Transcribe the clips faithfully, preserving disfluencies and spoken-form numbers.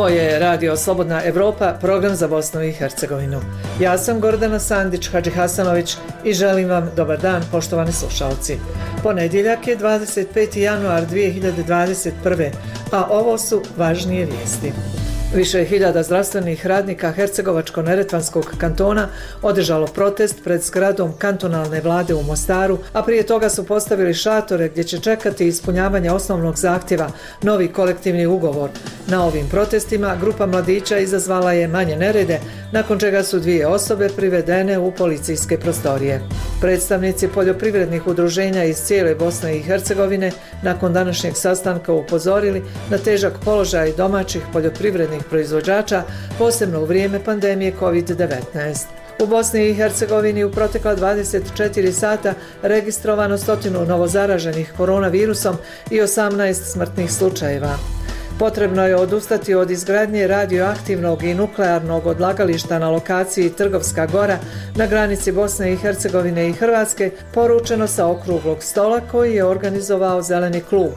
Ovo je Radio Slobodna Evropa, program za Bosnu i Hercegovinu. Ja sam Gordana Sandić Hadžihasanović i želim vam dobar dan, poštovani slušalci. Ponedjeljak je dvadeset peti januar dvije hiljade dvadeset prve. a ovo su važnije vijesti. Više hiljada zdravstvenih radnika Hercegovačko-neretvanskog kantona održalo protest pred zgradom kantonalne vlade u Mostaru, a prije toga su postavili šatore gdje će čekati ispunjavanje osnovnog zahtjeva, novi kolektivni ugovor. Na ovim protestima grupa mladića izazvala je manje nerede, nakon čega su dvije osobe privedene u policijske prostorije. Predstavnici poljoprivrednih udruženja iz cijele Bosne i Hercegovine nakon današnjeg sastanka upozorili na težak položaj domaćih poljoprivrednih proizvođača, posebno u vrijeme pandemije kovid devetnaest. U Bosni i Hercegovini u protekla dvadeset četiri sata registrovano stotinu novozaraženih koronavirusom i osamnaest smrtnih slučajeva. Potrebno je odustati od izgradnje radioaktivnog i nuklearnog odlagališta na lokaciji Trgovska Gora na granici Bosne i Hercegovine i Hrvatske, poručeno sa okruglog stola koji je organizovao Zeleni klub.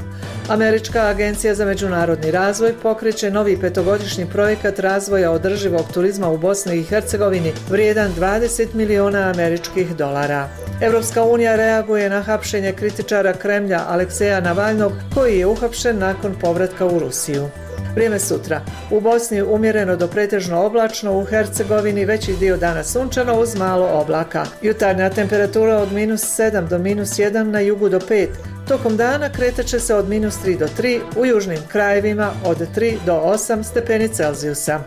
Američka agencija za međunarodni razvoj pokreće novi petogodišnji projekat razvoja održivog turizma u Bosni i Hercegovini vrijedan dvadeset miliona američkih dolara. Europska unija reaguje na hapšenje kritičara Kremlja Alekseja Navalnog koji je uhapšen nakon povratka u Rusiju. Vrijeme sutra. U Bosni umjereno do pretežno oblačno, u Hercegovini veći dio dana sunčano uz malo oblaka. Jutarnja temperatura od minus sedam do minus jedan, na jugu do pet. Tokom dana kretat će se od minus tri do tri, u južnim krajevima od tri do osam stepeni Celzijusa.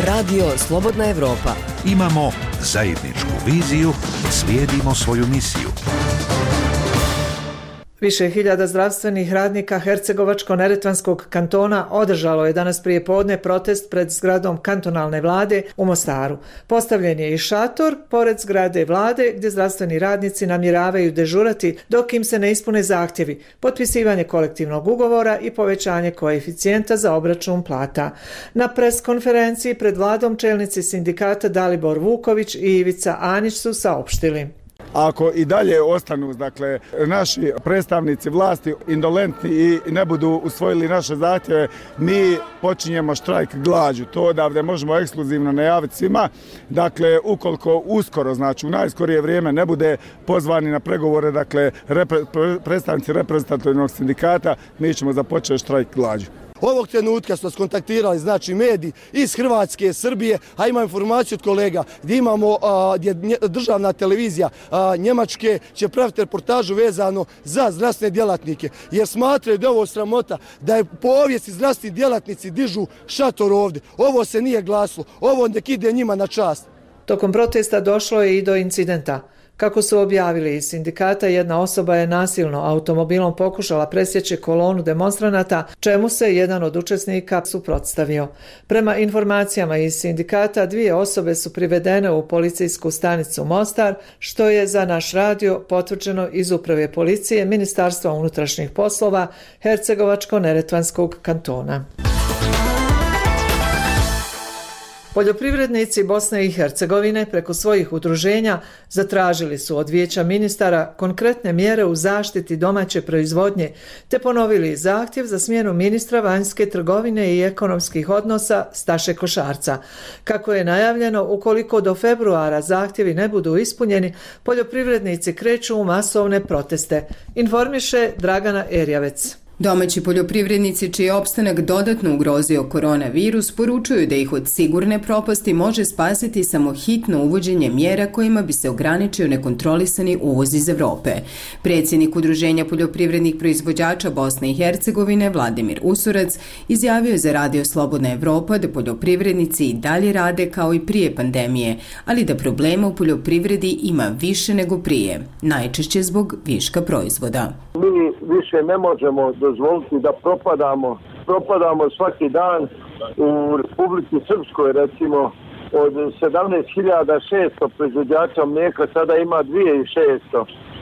Radio Slobodna Evropa. Imamo zajedničku viziju, slijedimo svoju misiju. Više hiljada zdravstvenih radnika Hercegovačko-neretvanskog kantona održalo je danas prije podne protest pred zgradom kantonalne vlade u Mostaru. Postavljen je i šator pored zgrade vlade gdje zdravstveni radnici namjeravaju dežurati dok im se ne ispune zahtjevi, potpisivanje kolektivnog ugovora i povećanje koeficijenta za obračun plata. Na pres konferenciji pred vladom čelnici sindikata Dalibor Vuković i Ivica Anić su saopštili: ako i dalje ostanu, dakle, naši predstavnici vlasti indolentni i ne budu usvojili naše zahtjeve, mi počinjemo štrajk glađu. To odavde možemo ekskluzivno najaviti svima. Dakle, ukoliko uskoro, znači u najskorije vrijeme ne bude pozvani na pregovore, dakle, repre, predstavnici reprezentativnog sindikata, mi ćemo započeti štrajk glađu. Ovog trenutka su nas kontaktirali, znači, mediji iz Hrvatske, Srbije, a imam informaciju od kolega gdje imamo, a, gdje državna televizija a, Njemačke će praviti reportažu vezano za zdravstvene djelatnike, jer smatraju da je ovo sramota, da je povijesti zdravstveni djelatnici dižu šator ovdje. Ovo se nije glasilo, ovo nek ide njima na čast. Tokom protesta došlo je i do incidenta. Kako su objavili iz sindikata, jedna osoba je nasilno automobilom pokušala presjeći kolonu demonstranata, čemu se jedan od učesnika suprotstavio. Prema informacijama iz sindikata, dvije osobe su privedene u policijsku stanicu Mostar, što je za naš radio potvrđeno iz Uprave policije Ministarstva unutrašnjih poslova Hercegovačko-neretvanskog kantona. Poljoprivrednici Bosne i Hercegovine preko svojih udruženja zatražili su od Vijeća ministara konkretne mjere u zaštiti domaće proizvodnje, te ponovili zahtjev za smjenu ministra vanjske trgovine i ekonomskih odnosa Staše Košarca. Kako je najavljeno, ukoliko do februara zahtjevi ne budu ispunjeni, poljoprivrednici kreću u masovne proteste, informiše Dragana Erjavec. Domaći poljoprivrednici čiji je opstanak dodatno ugrozio koronavirus poručuju da ih od sigurne propasti može spasiti samo hitno uvođenje mjera kojima bi se ograničio nekontrolisani uvoz iz Evrope. Predsjednik Udruženja poljoprivrednih proizvođača Bosne i Hercegovine Vladimir Usurac izjavio je za Radio Slobodna Evropa da poljoprivrednici i dalje rade kao i prije pandemije, ali da problema u poljoprivredi ima više nego prije, najčešće zbog viška proizvoda. Mi više ne možemo dozvoliti da propadamo. Propadamo svaki dan. U Republici Srpskoj, recimo, od sedamnaest hiljada šesto proizvođača mlijeka sada ima dvije tisuće šesto.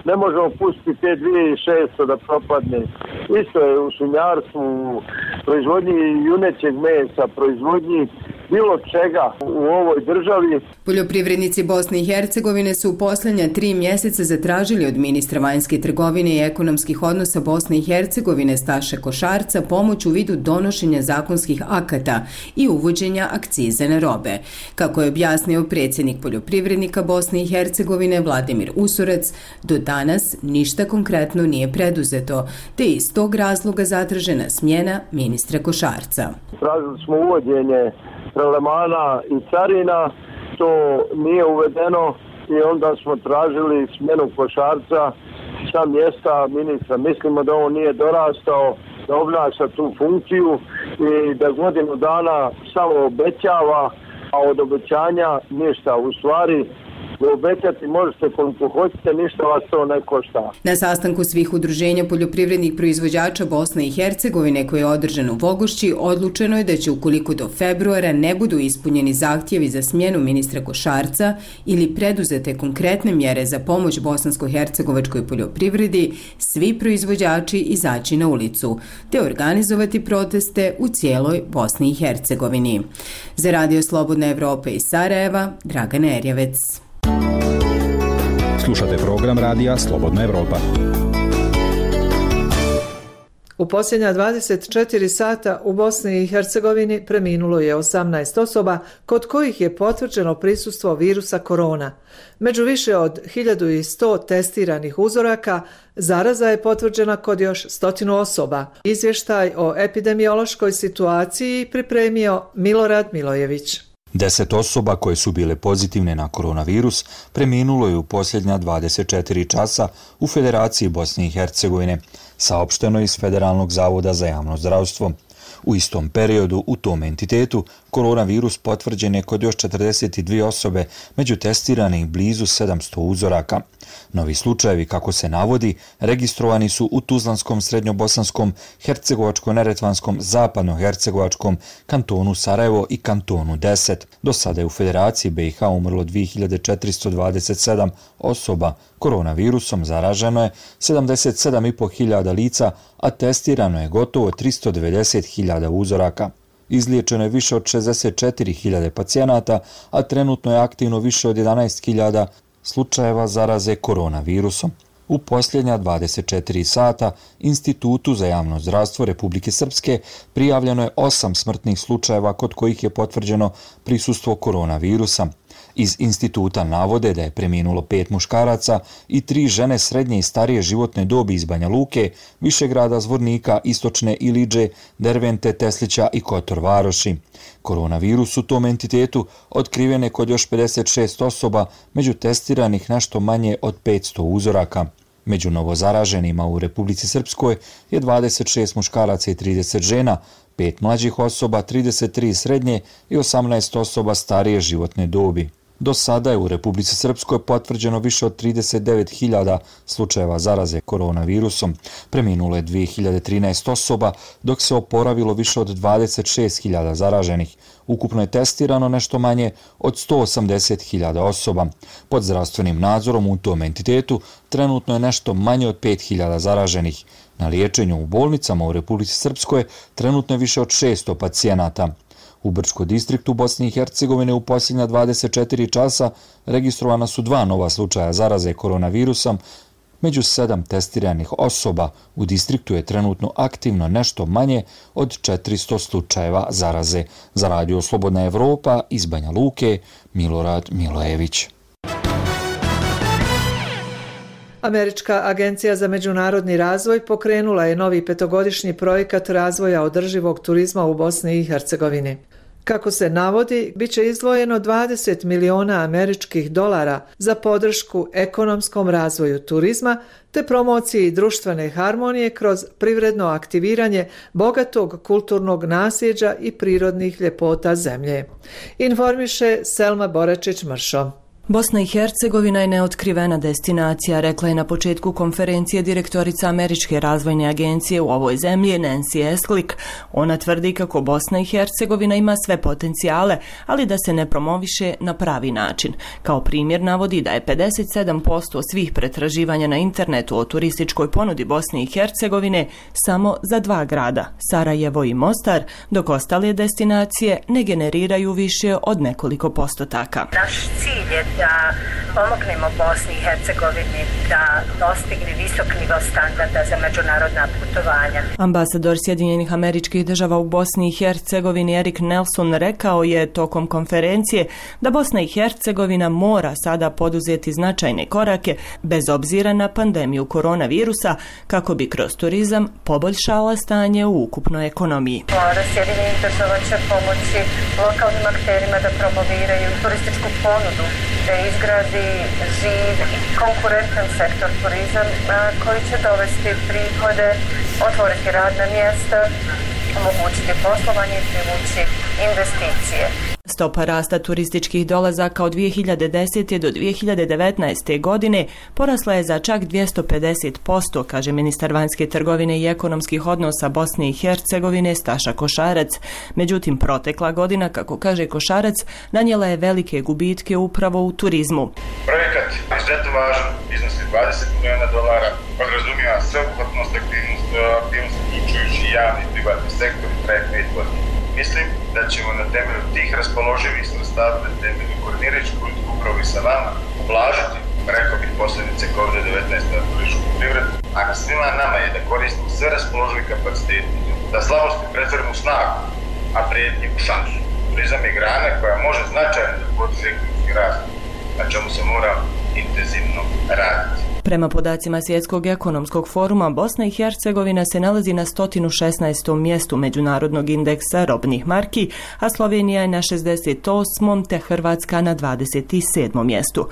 Ne možemo pustiti te dvije tisuće šesto da propadne. Isto je u svinjarstvu, u proizvodnji junećeg mesa, proizvodnji bilo čega u ovoj državi. Poljoprivrednici Bosne i Hercegovine su u posljednja tri mjeseca zatražili od ministra vanjske trgovine i ekonomskih odnosa Bosne i Hercegovine Staše Košarca pomoć u vidu donošenja zakonskih akata i uvođenja akcize na robe. Kako je objasnio predsjednik poljoprivrednika Bosne i Hercegovine Vladimir Usorac, do danas ništa konkretno nije preduzeto, te iz tog razloga zatražena smjena ministra Košarca. Tražili smo uvođenje prelemana i carina, to nije uvedeno i onda smo tražili smjenu Košarca sa mjesta ministra. Mislimo da on nije dorastao da obnaša tu funkciju i da godinu dana samo obećava, a od obećanja ništa. U stvari, obećati možete koliko hoćete, ništa vas to ne košta. Na sastanku svih udruženja poljoprivrednih proizvođača Bosne i Hercegovine koji je održan u Vogošći, odlučeno je da će ukoliko do februara ne budu ispunjeni zahtjevi za smjenu ministra Košarca ili preduzete konkretne mjere za pomoć bosansko-hercegovačkoj poljoprivredi, svi proizvođači izaći na ulicu, te organizovati proteste u cijeloj Bosni i Hercegovini. Za Radio Slobodna Evropa iz Sarajeva, Dragana Erjevec. Slušate program radija Slobodna Evropa. U posljednja dvadeset četiri sata u Bosni i Hercegovini preminulo je osamnaest osoba kod kojih je potvrđeno prisustvo virusa korona. Među više od hiljadu sto testiranih uzoraka zaraza je potvrđena kod još stotinu osoba. Izvještaj o epidemiološkoj situaciji pripremio Milorad Milojević. Deset osoba koje su bile pozitivne na koronavirus preminulo je u posljednja dvadeset četiri časa u Federaciji Bosne i Hercegovine, saopšteno iz Federalnog zavoda za javno zdravstvo. U istom periodu u tom entitetu koronavirus potvrđen je kod još četrdeset dvije osobe, među testiranih blizu sedamsto uzoraka. Novi slučajevi, kako se navodi, registrovani su u Tuzlanskom, Srednjobosanskom, Hercegovačko-Neretvanskom, Zapadno-Hercegovačkom, kantonu Sarajevo i kantonu deset. Do sada je u Federaciji B i H umrlo dvije hiljade četiristo dvadeset sedam osoba. Koronavirusom zaraženo je sedamdeset sedam i po hiljada lica, a testirano je gotovo tristo devedeset hiljada uzoraka. Izliječeno je više od šezdeset četiri hiljade pacijenata, a trenutno je aktivno više od jedanaest hiljada slučajeva zaraze koronavirusom. U posljednja dvadeset četiri sata Institutu za javno zdravstvo Republike Srpske prijavljeno je osam smrtnih slučajeva kod kojih je potvrđeno prisustvo koronavirusa. Iz instituta navode da je preminulo pet muškaraca i tri žene srednje i starije životne dobi iz Banja Luke, Višegrada, Zvornika, Istočne Iliđe, Dervente, Teslića i Kotor Varoši. Koronavirus u tom entitetu otkriven je kod još pedeset šest osoba, među testiranih nešto manje od petsto uzoraka. Među novozaraženima u Republici Srpskoj je dvadeset šest muškaraca i trideset žena, pet mlađih osoba, trideset tri srednje i osamnaest osoba starije životne dobi. Do sada je u Republici Srpskoj potvrđeno više od trideset devet hiljada slučajeva zaraze koronavirusom. Preminulo je dvije hiljade trinaest osoba, dok se oporavilo više od dvadeset šest hiljada zaraženih. Ukupno je testirano nešto manje od sto osamdeset hiljada osoba. Pod zdravstvenim nadzorom u tom entitetu trenutno je nešto manje od pet hiljada zaraženih. Na liječenju u bolnicama u Republici Srpskoj trenutno je više od šesto pacijenata. U Brčkom distriktu Bosne i Hercegovine u posljednja dvadeset četiri časa registrovana su dva nova slučaja zaraze koronavirusom. Među sedam testiranih osoba u distriktu je trenutno aktivno nešto manje od četiristo slučajeva zaraze. Za Radio Slobodna Evropa iz Banja Luke, Milorad Milojević. Američka agencija za međunarodni razvoj pokrenula je novi petogodišnji projekat razvoja održivog turizma u Bosni i Hercegovini. Kako se navodi, bit će izdvojeno dvadeset miliona američkih dolara za podršku ekonomskom razvoju turizma te promociji društvene harmonije kroz privredno aktiviranje bogatog kulturnog nasljeđa i prirodnih ljepota zemlje. Informiše Selma Boračić-Mršo. Bosna i Hercegovina je neotkrivena destinacija, rekla je na početku konferencije direktorica Američke razvojne agencije u ovoj zemlji Nancy Eslik. Ona tvrdi kako Bosna i Hercegovina ima sve potencijale, ali da se ne promoviše na pravi način. Kao primjer navodi da je pedeset sedam posto svih pretraživanja na internetu o turističkoj ponudi Bosne i Hercegovine samo za dva grada, Sarajevo i Mostar, dok ostale destinacije ne generiraju više od nekoliko postotaka. Naš cilj je da pomognemo Bosni i Hercegovini da dostigne visok nivo standarda za međunarodna putovanja. Ambasador Sjedinjenih Američkih Država u Bosni i Hercegovini Erik Nelson rekao je tokom konferencije da Bosna i Hercegovina mora sada poduzeti značajne korake bez obzira na pandemiju koronavirusa kako bi kroz turizam poboljšala stanje u ukupnoj ekonomiji. Vlada Sjedinjenih Država će pomoći lokalnim akterima da promoviraju turističku ponudu, da izgradi živ i konkurentan sektor turizam koji će dovesti prihode, otvoriti radna mjesta, omogućiti poslovanje i privući investicije. Stopa rasta turističkih dolazaka od dvije hiljade desete do dvije hiljade devetnaeste. godine porasla je za čak dvjesto pedeset posto, kaže ministar vanjske trgovine i ekonomskih odnosa Bosne i Hercegovine Staša Košarac. Međutim, protekla godina, kako kaže Košarac, nanijela je velike gubitke upravo u turizmu. Projekat je izuzetno važan, iznosi dvadeset miliona dolara, podrazumijeva sveobuhvatnost aktivnosti, aktivnost uključujući javni i privatni sektor i traje pet godina. Mislim da ćemo na temelju tih raspoloživih sredstava na temelju koordinirajuću politiku upravo i sa vama ublažiti, rekao bih, posljedice kovid devetnaest na turističku privredu, a na svima nama je da koristimo sve raspoložive kapacitete, da slabosti pretvorimo u snagu, a prijetnje u šansu. Turizam je grana koja može značajno da podiže ekonomski rast, na čemu se mora intenzivno raditi. Prema podacima Svjetskog ekonomskog foruma, Bosna i Hercegovina se nalazi na sto šesnaestom mjestu međunarodnog indeksa robnih marki, a Slovenija je na šezdeset osmom te Hrvatska na dvadeset sedmom mjestu.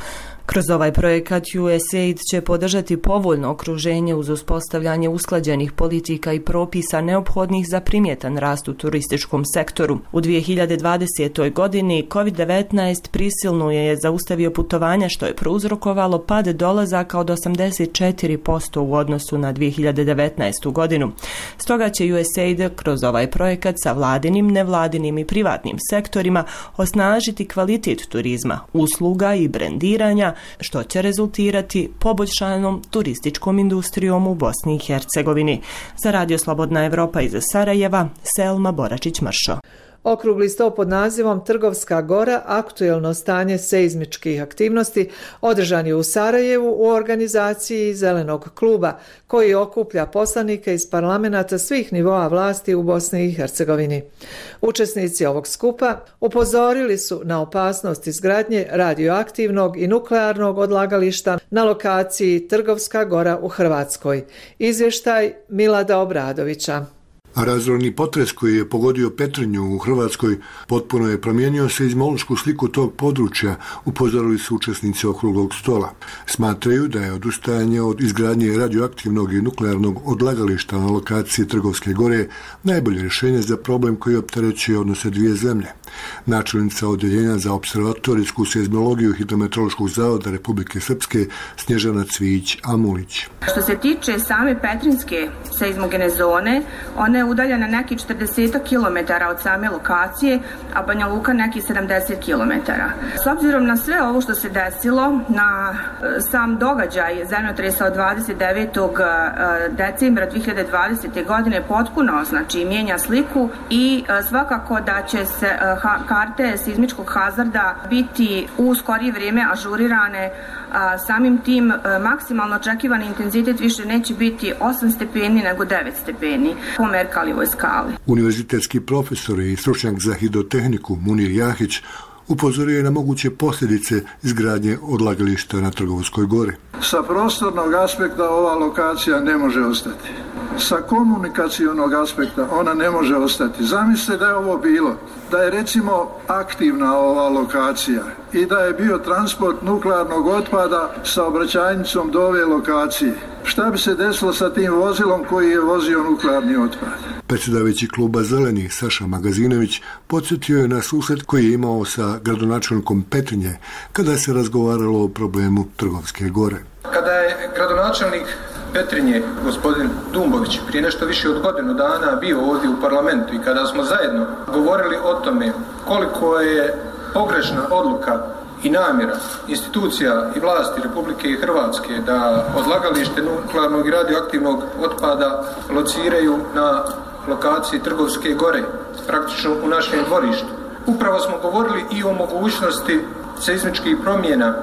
Kroz ovaj projekat U S A I D će podržati povoljno okruženje uz uspostavljanje usklađenih politika i propisa neophodnih za primjetan rast u turističkom sektoru. U dvije hiljade dvadesetoj. godini kovid devetnaest prisilno je zaustavio putovanja, što je prouzrokovalo pad dolazaka od osamdeset četiri posto u odnosu na dvije hiljade devetnaestu. godinu. Stoga će U S A I D kroz ovaj projekat sa vladinim, nevladinim i privatnim sektorima osnažiti kvalitet turizma, usluga i brendiranja, što će rezultirati poboljšanom turističkom industrijom u Bosni i Hercegovini. Za Radio Slobodna Evropa iz Sarajeva, Selma Boračić-Mršo. Okrugli sto pod nazivom Trgovska gora, aktuelno stanje seizmičkih aktivnosti održan je u Sarajevu u organizaciji Zelenog kluba, koji okuplja poslanike iz parlamenta svih nivoa vlasti u Bosni i Hercegovini. Učesnici ovog skupa upozorili su na opasnost izgradnje radioaktivnog i nuklearnog odlagališta na lokaciji Trgovska gora u Hrvatskoj. Izvještaj Milada Obradovića. Razorni potres koji je pogodio Petrinju u Hrvatskoj potpuno je promijenio seizmološku sliku tog područja, upozorili su učesnici okruglog stola. Smatraju da je odustajanje od izgradnje radioaktivnog i nuklearnog odlagališta na lokaciji Trgovske gore najbolje rješenje za problem koji opterećuje odnose dvije zemlje. Načelnica Odjeljenja za observatorijsku seizmologiju Hidrometeorološkog zavoda Republike Srpske Snježana Cvijić-Amulić. Što se tiče same Petrinjske seizmogene zone, ona je udaljena neki četrdeset kilometara od same lokacije, a Banja Luka neki sedamdeset kilometara. S obzirom na sve ovo što se desilo, na sam događaj zemljotresa od dvadeset devetog decembra dvije hiljade dvadesete. godine potpuno znači mijenja sliku i svakako da će se karte seizmičkog hazarda biti u skorije vrijeme ažurirane. A samim tim maksimalno očekivani intenzitet više neće biti osam stepeni nego devet stepeni po Merkalijevoj skali. Univerzitetski profesor i stručnjak za hidrotehniku Munir Jahić upozorio je na moguće posljedice izgradnje odlagališta na Trgovskoj gori. Sa prostornog aspekta ova lokacija ne može ostati. Sa komunikacionog aspekta ona ne može ostati. Zamislite da je ovo bilo, da je recimo aktivna ova lokacija i da je bio transport nuklearnog otpada sa obraćajnicom do ove lokacije. Šta bi se desilo sa tim vozilom koji je vozio nuklearni otpad? Predsjedavajući kluba Zelenih Saša Magazinović podsjetio je na susret koji je imao sa gradonačelnikom Petrinje kada se razgovaralo o problemu Trgovske gore. Kada je gradonačelnik Petrinje, gospodin Dumbović, prije nešto više od godinu dana bio ovdje u parlamentu i kada smo zajedno govorili o tome koliko je pogrešna odluka i namjera institucija i vlasti Republike Hrvatske da odlagalište nuklearnog i radioaktivnog otpada lociraju na lokaciji Trgovske gore, praktično u našem dvorištu. Upravo smo govorili i o mogućnosti seizmičkih promjena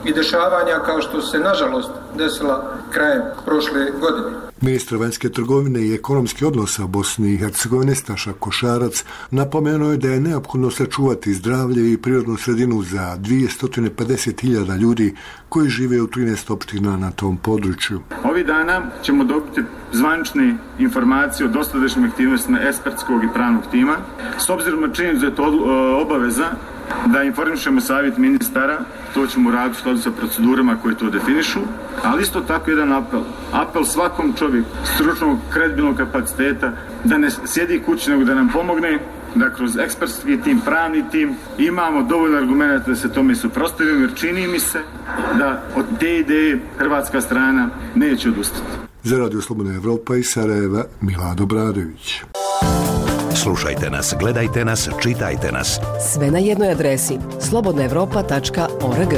i dešavanja kao što se nažalost desila krajem prošle godine. Ministar vanjske trgovine i ekonomskih odnosa Bosne i Hercegovine Staša Košarac napomenuo je da je neophodno sačuvati zdravlje i prirodnu sredinu za dvjesto pedeset hiljada ljudi koji žive u trinaest opština na tom području. Ovih dana ćemo dobiti zvanične informacije o dosadašnjim aktivnostima ekspertskog i pravnog tima. S obzirom na činjenicu da je to obaveza da informišemo savjet ministara, to ćemo raditi u skladu sa procedurama koje to definišu, ali isto tako jedan apel. Apel svakom čovjeku stručnog, kredibilnog kapaciteta da ne sjedi kući nego da nam pomogne, da kroz ekspertski tim, pravni tim imamo dovoljno argumenta da se tome suprotstavimo, jer čini mi se da od te ideje hrvatska strana neće odustati. Za Radio Slobodna Evropa iz Sarajeva, Milado Bradović. Slušajte nas, gledajte nas, čitajte nas. Sve na jednoj adresi slobodna evropa tačka org.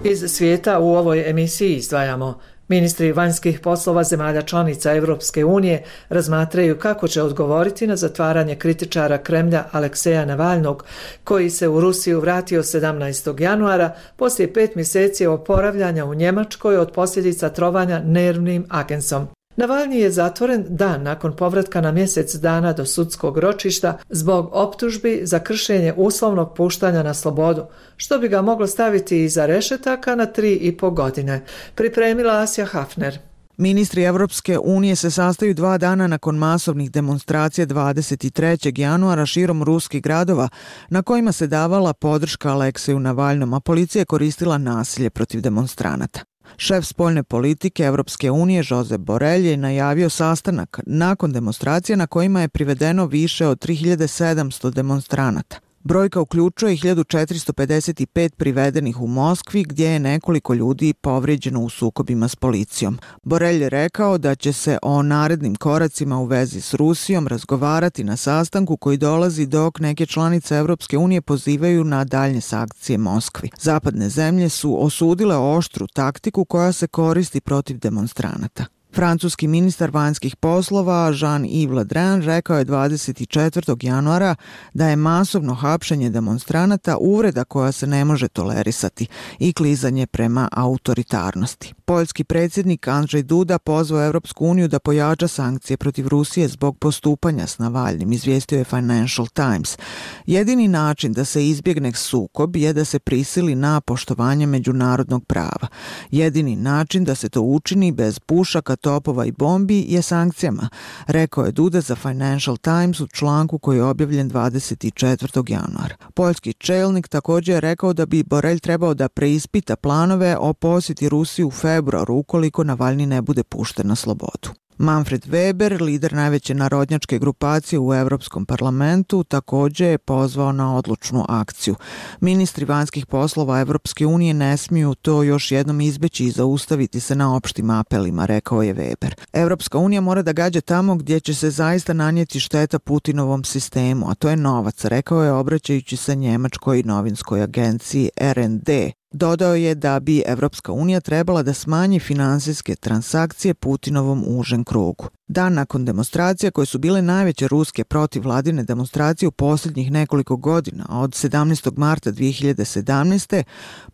Iz svijeta u ovoj emisiji izdvajamo. Ministri vanjskih poslova zemalja članica Europske unije razmatraju kako će odgovoriti na zatvaranje kritičara Kremlja Alekseja Navalnog, koji se u Rusiju vratio sedamnaestog januara poslije pet mjeseci oporavljanja u Njemačkoj od posljedica trovanja nervnim agensom. Navalni je zatvoren dan nakon povratka na mjesec dana do sudskog ročišta zbog optužbi za kršenje uslovnog puštanja na slobodu, što bi ga moglo staviti iza rešetaka na tri i po godine. Pripremila Asja Hafner. Ministri Evropske unije se sastaju dva dana nakon masovnih demonstracija dvadeset trećeg januara širom ruskih gradova na kojima se davala podrška Alekseju Navalnom, a policija je koristila nasilje protiv demonstranata. Šef spoljne politike Evropske unije Josep Borrell je najavio sastanak nakon demonstracija na kojima je privedeno više od tri hiljade sedamsto demonstranata. Brojka uključuje hiljadu četiristo pedeset pet privedenih u Moskvi, gdje je nekoliko ljudi povrijeđeno u sukobima s policijom. Borrell je rekao da će se o narednim koracima u vezi s Rusijom razgovarati na sastanku koji dolazi dok neke članice Evropske unije pozivaju na daljnje sankcije Moskvi. Zapadne zemlje su osudile oštru taktiku koja se koristi protiv demonstranata. Francuski ministar vanjskih poslova Jean-Yves Le Drian rekao je dvadeset četvrtog januara da je masovno hapšenje demonstranata uvreda koja se ne može tolerisati i klizanje prema autoritarnosti. Poljski predsjednik Andrzej Duda pozvao Evropsku uniju da pojača sankcije protiv Rusije zbog postupanja s Navalnim, izvijestio je Financial Times. Jedini način da se izbjegne sukob je da se prisili na poštovanje međunarodnog prava. Jedini način da se to učini bez pušaka, topova i bombi je sankcijama, rekao je Duda za Financial Times u članku koji je objavljen dvadeset četvrtog januara. Poljski čelnik također je rekao da bi Borrell trebao da preispita planove o posjeti Rusiji u februaru ukoliko Navalni ne bude pušten na slobodu. Manfred Weber, lider najveće narodnjačke grupacije u Europskom parlamentu, također je pozvao na odlučnu akciju. Ministri vanjskih poslova Evropske unije ne smiju to još jednom izbeći i zaustaviti se na opštim apelima, rekao je Weber. Evropska unija mora da gađa tamo gdje će se zaista nanijeti šteta Putinovom sistemu, a to je novac, rekao je obraćajući se njemačkoj novinskoj agenciji R N D. Dodao je da bi Evropska unija trebala da smanji finansijske transakcije Putinovom užem krugu. Dan nakon demonstracija koje su bile najveće ruske protivvladine demonstracije u posljednjih nekoliko godina, od sedamnaestog marta dvije hiljade sedamnaeste.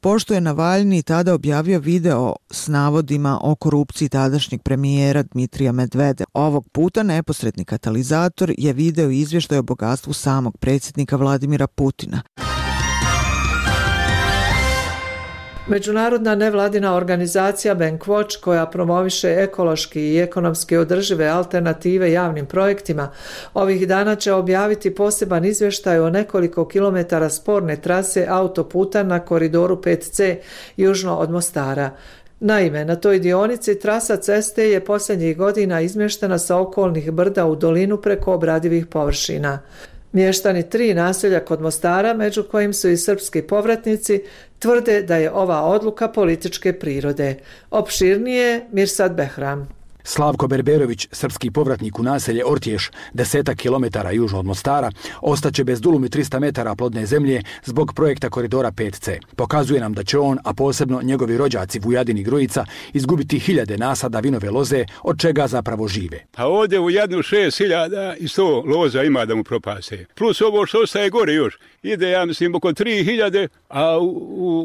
pošto je Navalni tada objavio video s navodima o korupciji tadašnjeg premijera Dmitrija Medvedeva. Ovog puta neposredni katalizator je video izvještaj o bogatstvu samog predsjednika Vladimira Putina. Međunarodna nevladina organizacija Bankwatch, koja promoviše ekološki i ekonomski održive alternative javnim projektima, ovih dana će objaviti poseban izvještaj o nekoliko kilometara sporne trase autoputa na koridoru pet C južno od Mostara. Naime, na toj dionici trasa ceste je posljednjih godina izmještena sa okolnih brda u dolinu preko obradivih površina. Mještani tri naselja kod Mostara, među kojim su i srpski povratnici, tvrde da je ova odluka političke prirode. Opširnije Mirsad Behram. Slavko Berberović, srpski povratnik u naselje Ortješ, desetak kilometara južno od Mostara, ostaće bez dulumi trista metara plodne zemlje zbog projekta koridora pet ce. Pokazuje nam da će on, a posebno njegovi rođaci Vujadin i Grujica, izgubiti hiljade nasada vinove loze, od čega zapravo žive. A ovdje u jednu šest hiljada i sto loza ima da mu propase. Plus ovo što ostaje gore još. Ide, ja mislim, oko tri hiljade, a u,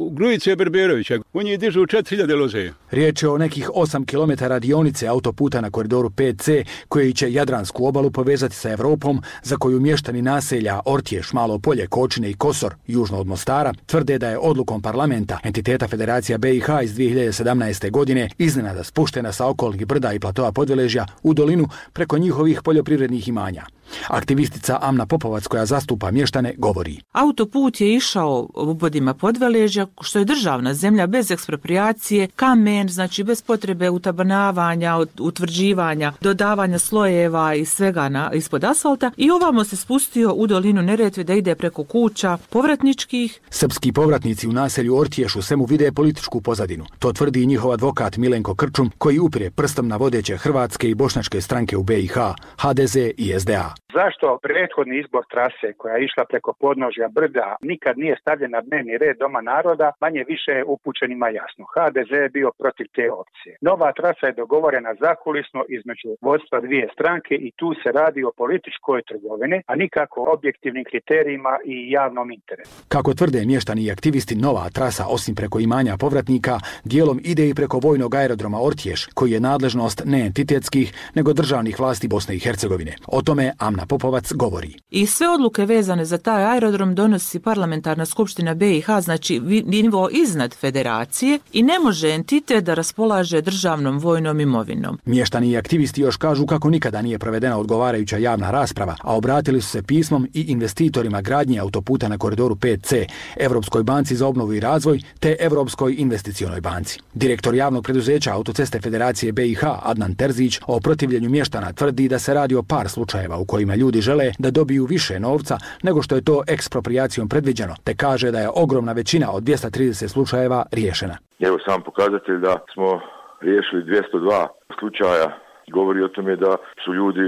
u Grujice Berberovića, u njih dižu četiri hiljade loze. Riječ je o nekih osam kilometara dionice autoputa na koridoru pet ce, koji će Jadransku obalu povezati sa Evropom, za koju mještani naselja Ortješ, Malo Polje, Kočine i Kosor, južno od Mostara, tvrde da je odlukom parlamenta, entiteta Federacija be i ha iz dvije hiljade sedamnaeste. godine, iznenada spuštena sa okolnih brda i platoa Podveležja u dolinu preko njihovih poljoprivrednih imanja. Aktivistica Amna Popovac, koja zastupa mještane, govori. Autoput je išao obodima Podveležja, što je državna zemlja bez ekspropriacije, kamen, znači bez potrebe utabanavanja, utvrđivanja, dodavanja slojeva i svega na, ispod asfalta, i ovamo se spustio u dolinu Neretve da ide preko kuća povratničkih. Srpski povratnici u naselju Ortješ u svemu vide političku pozadinu. To tvrdi i njihov advokat Milenko Krčum, koji upire prstom na vodeće hrvatske i bošnjačke stranke u be i ha, ha de ze i es de a. Zašto prethodni izbor trase koja je išla preko podnožja brda nikad nije stavljen na dnevni red Doma naroda, manje više je upućenima jasno. ha de ze je bio protiv te opcije. Nova trasa je dogovorena zakulisno između vodstva dvije stranke i tu se radi o političkoj trgovini, a nikako objektivnim kriterijima i javnom interesu. Kako tvrde mještani i aktivisti, nova trasa, osim preko imanja povratnika, dijelom ide i preko vojnog aerodroma Ortješ, koji je nadležnost ne entitetskih, nego državnih vlasti Bosne i Hercegovine. O tome Amna Popovac govori. I sve odluke vezane za taj aerodrom donosi parlamentarna skupština be i ha, znači nivo iznad federacije, i ne može entitet da raspolaže državnom vojnom imovinom. Mještani i aktivisti još kažu kako nikada nije provedena odgovarajuća javna rasprava, a obratili su se pismom i investitorima gradnje autoputa na koridoru pet ce, Evropskoj banci za obnovu i razvoj te Evropskoj investicionoj banci. Direktor javnog preduzeća Autoceste Federacije be i ha, Adnan Terzić, o protivljenju mještana tvrdi da se radi o par slučajeva u kojima ljudi žele da dobiju više novca nego što je to eksproprijacijom predviđeno, te kaže da je ogromna većina od dvjesto trideset slučajeva riješena. Evo sam pokazatelj da smo riješili dvjesto dva slučaja. Govori o tome da su ljudi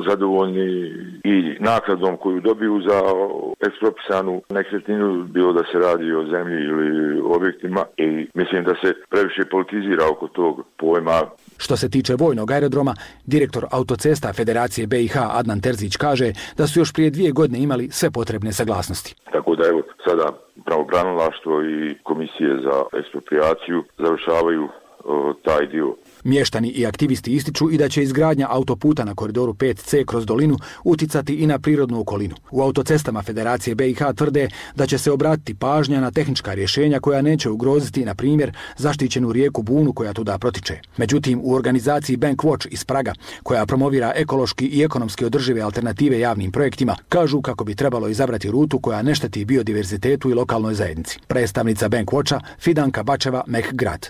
zadovoljni i naknadom koju dobiju za ekspropisanu nekretninu, bilo da se radi o zemlji ili objektima, i mislim da se previše politizira oko tog pojma. Što se tiče vojnog aerodroma, direktor Autocesta Federacije be i ha Adnan Terzić kaže da su još prije dvije godine imali sve potrebne saglasnosti. Tako da evo sada pravobranilaštvo i komisije za eksproprijaciju završavaju o, taj dio. Mještani i aktivisti ističu i da će izgradnja autoputa na koridoru pet ce kroz dolinu uticati i na prirodnu okolinu. U Autocestama Federacije be i ha tvrde da će se obratiti pažnja na tehnička rješenja koja neće ugroziti, na primjer, zaštićenu rijeku Bunu koja tuda protiče. Međutim, u organizaciji Bank Watch iz Praga, koja promovira ekološki i ekonomski održive alternative javnim projektima, kažu kako bi trebalo izabrati rutu koja ne šteti biodiverzitetu i lokalnoj zajednici. Predstavnica Bank Watcha Fidanka Bačeva Mehgrad.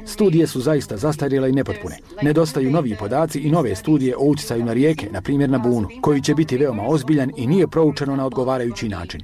Studije su zaista zastarjele i nepotpune. Nedostaju novi podaci i nove studije o utjecaju na rijeke, na primjer na Bunu, koji će biti veoma ozbiljan i nije proučeno na odgovarajući način.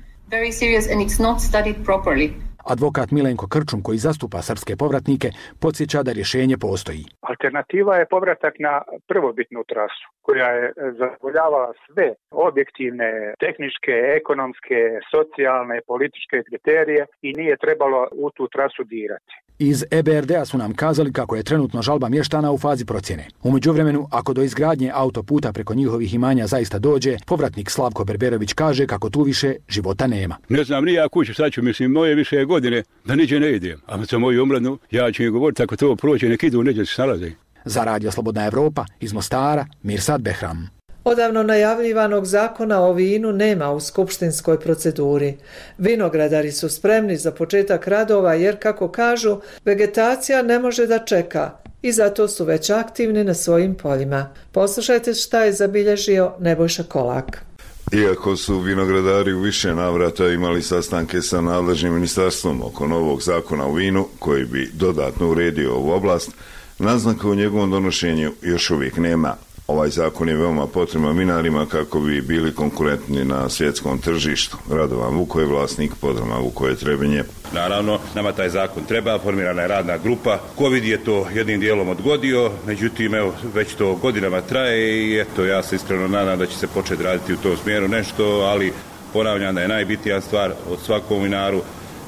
Advokat Milenko Krčum, koji zastupa srpske povratnike, podsjeća da rješenje postoji. Alternativa je povratak na prvobitnu trasu, koja je zadovoljavala sve objektivne, tehničke, ekonomske, socijalne, političke kriterije i nije trebalo u tu trasu dirati. Iz e be er de a su nam kazali kako je trenutno žalba mještana u fazi procjene. U međuvremenu, ako do izgradnje autoputa preko njihovih imanja zaista dođe, povratnik Slavko Berberović kaže kako tu više života nema. Ne znam ni ja kuće, sad ću, mislim, moje više godine da niđe ne idem. A za moju omladnu, ja ću im govoriti ako to prođe, nek idu, neđe se snalaze. Za Radio Slobodna Evropa, iz Mostara, Mirsad Behram. Odavno najavljivanog zakona o vinu nema u skupštinskoj proceduri. Vinogradari su spremni za početak radova jer, kako kažu, vegetacija ne može da čeka i zato su već aktivni na svojim poljima. Poslušajte šta je zabilježio Nebojša Kolak. Iako su vinogradari u više navrata imali sastanke sa nadležnim ministarstvom oko novog zakona o vinu, koji bi dodatno uredio ovu oblast, naznaka u njegovom donošenju još uvijek nema. Ovaj zakon je veoma potreban vinarima kako bi bili konkurentni na svjetskom tržištu. Radovan Vuko je vlasnik podruma Vukoje Trebinje. Naravno, nama taj zakon treba, formirana je radna grupa. Covid je to jednim dijelom odgodio, međutim, evo, već to godinama traje i eto, ja se iskreno nadam da će se početi raditi u tom smjeru nešto, ali ponavljam da je najbitnija stvar od svakom vinaru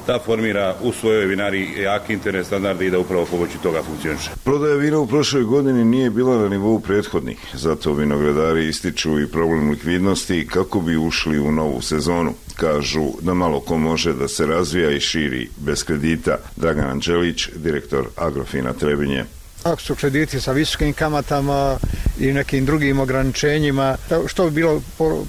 da formira u svojoj vinari jaki internet standardi i da upravo pomoću toga funkcioniše. Prodaja vina u prošloj godini nije bila na nivou prethodnih, zato vinogradari ističu i problem likvidnosti kako bi ušli u novu sezonu. Kažu da malo ko može da se razvija i širi bez kredita. Dragan Anđelić, direktor Agrofina Trebinje. Ako su krediti sa visokim kamatama i nekim drugim ograničenjima, što bi bilo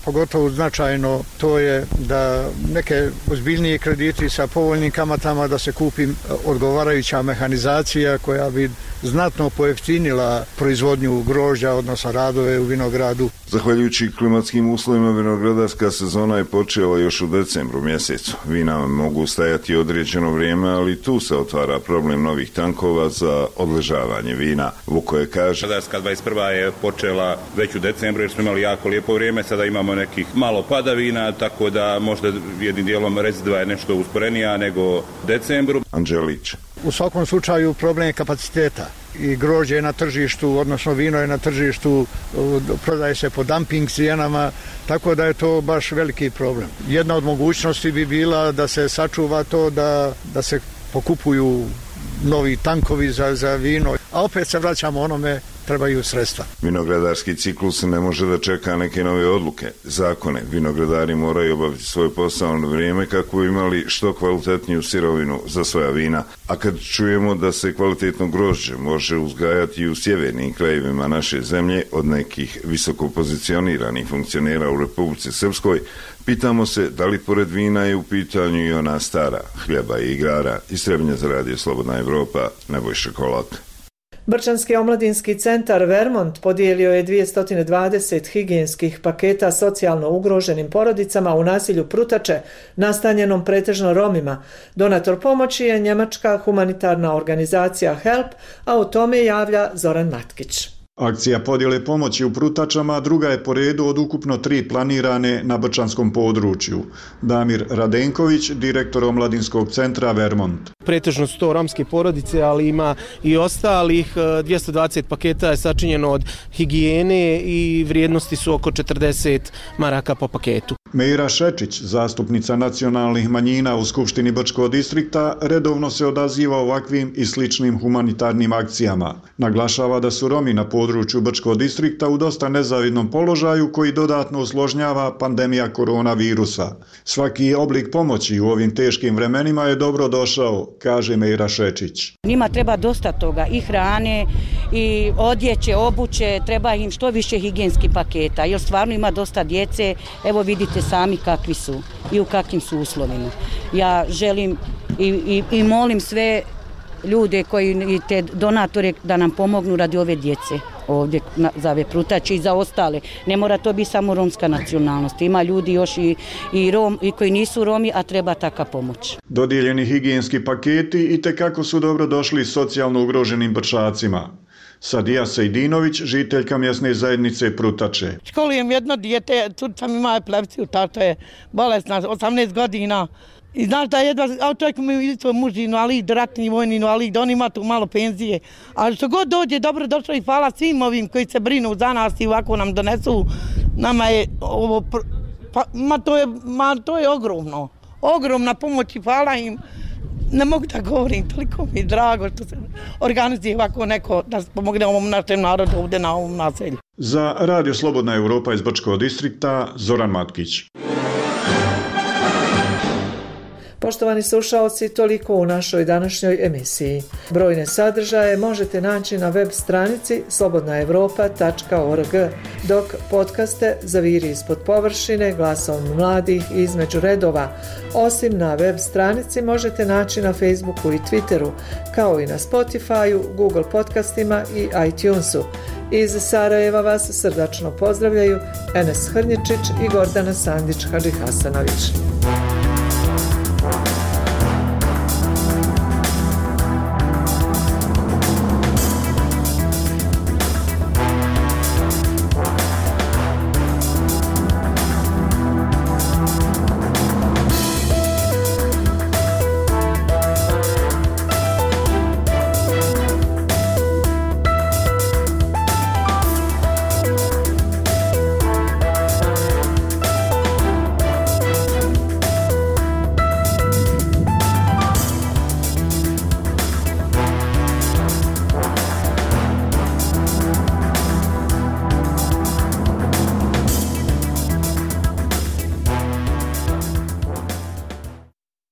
pogotovo značajno, to je da neke ozbiljnije krediti sa povoljnim kamatama, da se kupi odgovarajuća mehanizacija koja bi znatno pojeftinila proizvodnju grožđa, odnosno radove u vinogradu. Zahvaljujući klimatskim uslovima, vinogradarska sezona je počela još u decembru mjesecu. Vina mogu stajati određeno vrijeme, ali tu se otvara problem novih tankova za odležavanje vina. Vukoje kaže: Vinogradarska dvadeset prva je počela već u decembru jer smo imali jako lijepo vrijeme, sada imamo nekih malo padavina, tako da možda jednim dijelom reziduva je nešto usporenija nego decembru. Anđelić. U svakom slučaju problem je kapaciteta i grožđe je na tržištu, odnosno vino je na tržištu, prodaje se po dumping cijenama, tako da je to baš veliki problem. Jedna od mogućnosti bi bila da se sačuva to, da, da se pokupuju novi tankovi za, za vino, a opet se vraćamo onome, trebaju sredstva. Vinogradarski ciklus ne može da čeka neke nove odluke, zakone. Vinogradari moraju obaviti svoj posao na vrijeme kako bi imali što kvalitetniju sirovinu za svoja vina. A kad čujemo da se kvalitetno grožđe može uzgajati i u sjevernim krajevima naše zemlje od nekih visoko pozicioniranih funkcionera u Republici Srpskoj, pitamo se da li pored vina je u pitanju i ona stara hljeba i igara. Iz Trebinja za radio Slobodna Evropa, Nebojša Kolak. Brčanski omladinski centar Vermont podijelio je dvjesto dvadeset higijenskih paketa socijalno ugroženim porodicama u naselju Prutače, nastanjenom pretežno Romima. Donator pomoći je njemačka humanitarna organizacija Help, a o tome javlja Zoran Matkić. Akcija podjele pomoći u Prutačama druga je po redu od ukupno tri planirane na brčanskom području. Damir Radenković, direktor omladinskog centra Vermont. Pretežno su to romske porodice, ali ima i ostalih. dvjesto dvadeset paketa je sačinjeno od higijene i vrijednosti su oko četrdeset maraka po paketu. Meira Šečić, zastupnica nacionalnih manjina u Skupštini Brčkog distrikta, redovno se odaziva ovakvim i sličnim humanitarnim akcijama. Naglašava da su Romi na području Brčkog distrikta u dosta nezavidnom položaju koji dodatno usložnjava pandemija koronavirusa. Svaki oblik pomoći u ovim teškim vremenima je dobro došao, kaže Meira Šečić. Njima treba dosta toga, i hrane, i odjeće, obuće, treba im što više higijenskih paketa, jer stvarno ima dosta djece, evo vidite sami kakvi su i u kakvim su uslovima. Ja želim i, i, i molim sve ljude koji i te donatore da nam pomognu radi ove djece ovdje na, za ove Prutače i za ostale. Ne mora to biti samo romska nacionalnost. Ima ljudi još i, i, rom, i koji nisu Romi, a treba taka pomoć. Dodijeljeni higijenski paketi i tekako su dobro došli socijalno ugroženim Brčacima. Sadija Sejdinović, žiteljka mjesne zajednice Prutače. Školujem jedno dijete, curica mi ima epilepsiju, tato je bolesna, osamnaest godina. I znaš da jedva, a čovjek mi je svoj muž invalid, ratni vojni invalid, da on ima tu malo penzije. Ali što god dođe, dobro došlo i hvala svim ovim koji se brinu za nas i ovako nam donesu. Nama je ovo, pa, ma, to je, ma to je ogromno, ogromna pomoć i hvala im. Ne mogu da govorim, toliko mi je drago što se organizuje ovako neko da pomogne ovom našem narodu ovdje na ovom naselju. Za Radio Slobodna Evropa iz Brčkog distrikta, Zoran Matkić. Poštovani slušalci, toliko u našoj današnjoj emisiji. Brojne sadržaje možete naći na web stranici slobodna evropa tačka org, dok podcaste Zaviri ispod površine, Glasom mladih i Između redova, osim na web stranici možete naći na Facebooku i Twitteru, kao i na Spotifyu, Google podcastima i iTunesu. Iz Sarajeva vas srdačno pozdravljaju Enes Hrnječić i Gordana Sandić-Hadžihasanović.